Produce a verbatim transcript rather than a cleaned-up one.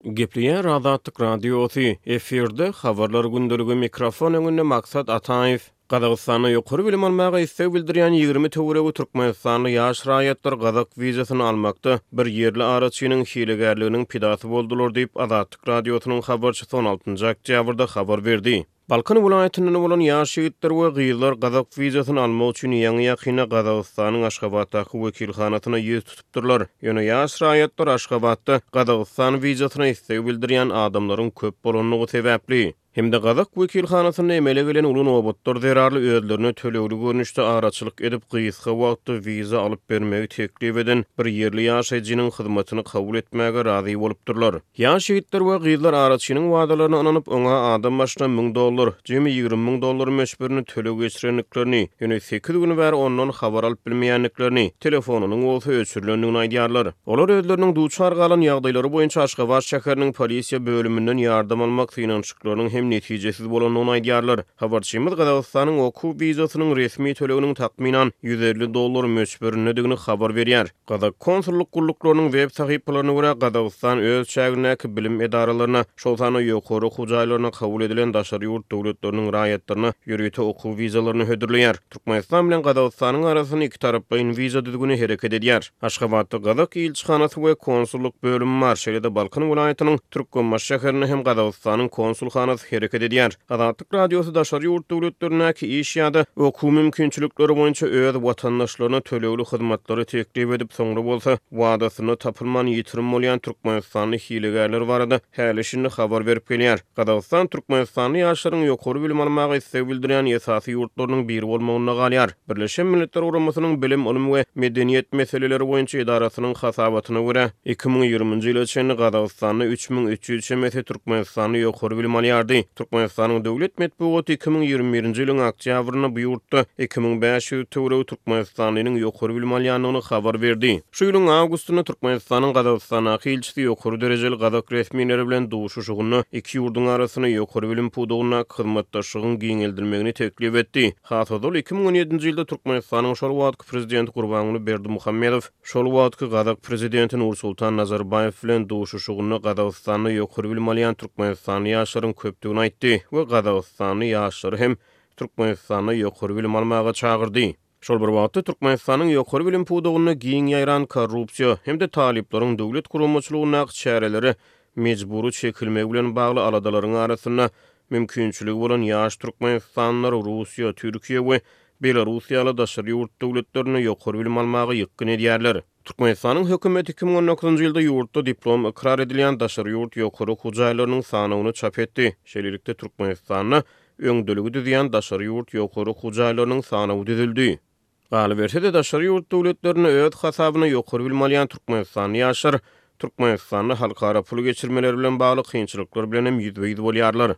Gepleýär Azatlyk Radiosy, efirde Habarlar gündeligi, mikrofon öňünde Maksat Ataýew. Gazagystanda ýokary bilim almaga isleg bildirýän ýigrimi töweregi türkmenistanly ýaş raýatlar gazak wizasyny almakda bir ýerli araçynyň hilegärliginiň pidasy boldular diýip, Azatlyk Radiosynyň habarçysy on altynjy oktýabrda habar berdi. Balkan welaýatyndan bolan ýaş ýigitler we gyzlar gazak wizasyny almak üçin ýaňy-ýakynda Gazagystanyň Aşgabatdaky wekilhanasyna ýüz tutupdyrlar. Ýöne ýaş raýatlar Aşgabatda Gazagystan wizasyna isleg bildirýän adamlaryň köp bolandygy sebäpli hem-de gazak wekilhanasynda emele gelen uly nobatlar zerarly özlerine tölegli görnüşde araçylyk edip gysga wagtda wiza alyp bermegi teklip eden bir ýerli ýaşaýjynyň hyzmatyny kabul etmäge razy bolupdyrlar. Ýaş ýigitler we gyzlar araçynyň wadalaryna ynanyp, oňa adam başyna müň dollar, jemi ýigrimi müň dollar möçberini töleg geçirendiklerini, ýöne sekiz gün bäri ondan habar alyp bilmeýändiklerini, telefonynyň bolsa öçürilendigini aýdýarlar. Olar özleriniň duçar galan ýagdaýlary boýunça Aşgabat şäheriniň polisiýa bölüminden ýardam almak synanyşyklarynyň hem netijesiz bolandygyny aýdýarlar. Habarçymyz Gazagystanyň okuw wizasynyň resmi töleginiň takmynan ýüz elli dollar möçberindedigini habar berýär. Gazak konsullyk gulluklarynyň web sahypalaryna görä Gazagystan öz çägindäki bilim edaralaryna, şol sanda ýokary okuw jaýlaryna kabul edilen daşary ýurt döwletleriniň raýatlaryna ýörite okuw wizalaryny hödürleýär. Türkmenistan bilen Gazagystanyň arasynda iki taraplaýyn wiza düzgüni hereket edýär. Aşgabatda Gazak ilçihanasy we konsullyk bölümi bar. Şeýle-de Balkan welaýatynyň Türkmenbaşy şäherinde hem Gazagystanyň konsulhanasy hereket edýär. Azatlyk Radiosy daşary ýurt döwletlerindäki iş ýa-da okuw mümkinçilikleri boýunça öz watandaşlaryna tölegli hyzmatlary teklip edip, soňra bolsa wadasynda tapylman ýitirim bolýan türkmenistanly hilegärler barada häli-şindi habar berip gelýär. Gazagystan türkmenistanly ýaşlaryň ýokary bilim almaga isleg bildirýän esasy ýurtlarynyň biri bolmagynda galýar. Birleşen Milletler Guramasynyň Bilim, Ylym we Medeniýet meseleleri boýunça edarasynyň hasabatyna görä iki müň ýigriminji ýyla çenli Gazagystanda üç müň üç ýüz çemesi türkmenistanly ýokary bilim alýardy. Türkmenistanyň döwlet metbugaty iki müň ýigrimi birinji ýylyň oktýabrynda bu ýurtda iki müň bäş ýüz töweregi türkmenistanlynyň ýokary bilim alýandygyny habar berdi. Şu ýylyň awgustynda Türkmenistanyň Gazagystandaky ilçisi ýokary derejeli gazak resmileri bilen duşuşygynda iki ýurduň arasynda ýokary bilim pudagyndaky hyzmatdaşlygyň giňeldilmegini teklip etdi. Has ozal iki müň on ýedinji ýylda Türkmenistanyň şol wagtky prezidenti Gurbanguly Berdimuhamedow şol wagtky gazak prezidenti Nursultan Nazarbaýew bilen duşuşygynda Gazagystanda ýokary bilim alýan türkmenistanly ýaşlaryň köpdügini aýtdy we Gazagystanly ýaşlary hem Türkmenistanda ýokary bilim almaga çagyrdy. Şol bir wagtda Türkmenistanyň ýokary bilim pudagynda giň ýaýran korrupsiýa hem-de talyplaryň döwlet guramaçylygyndaky çärelere mejbury çekilmegi bilen bagly aladalaryň arasynda mümkinçiligi bolan ýaş türkmenistanlylar Russiýa, Türkiýe we Belarus ýaly daşary ýurt döwletlerinde ýokary bilim almaga ýykgyn edýärler. Türkmenistanyň hökümeti iki müň on dokuzynjy ýylda ýurtda diplom ykrar edilýän daşary ýurt ýokary okuw jaýlarynyň sanawyny çap etdi. Şeýlelikde Türkmenistanda öňdeligi düzýän daşary ýurt ýokary okuw jaýlarynyň sanawy düzüldi. Galyberse-de daşary ýurt döwletlerinde öz hasabyna ýokary bilim alýan türkmenistanly ýaşlar Türkmenistanda halkara pul geçirmeleri bilen bagly kynçylyklar bilen hem ýüzbe-ýüz bolýarlar.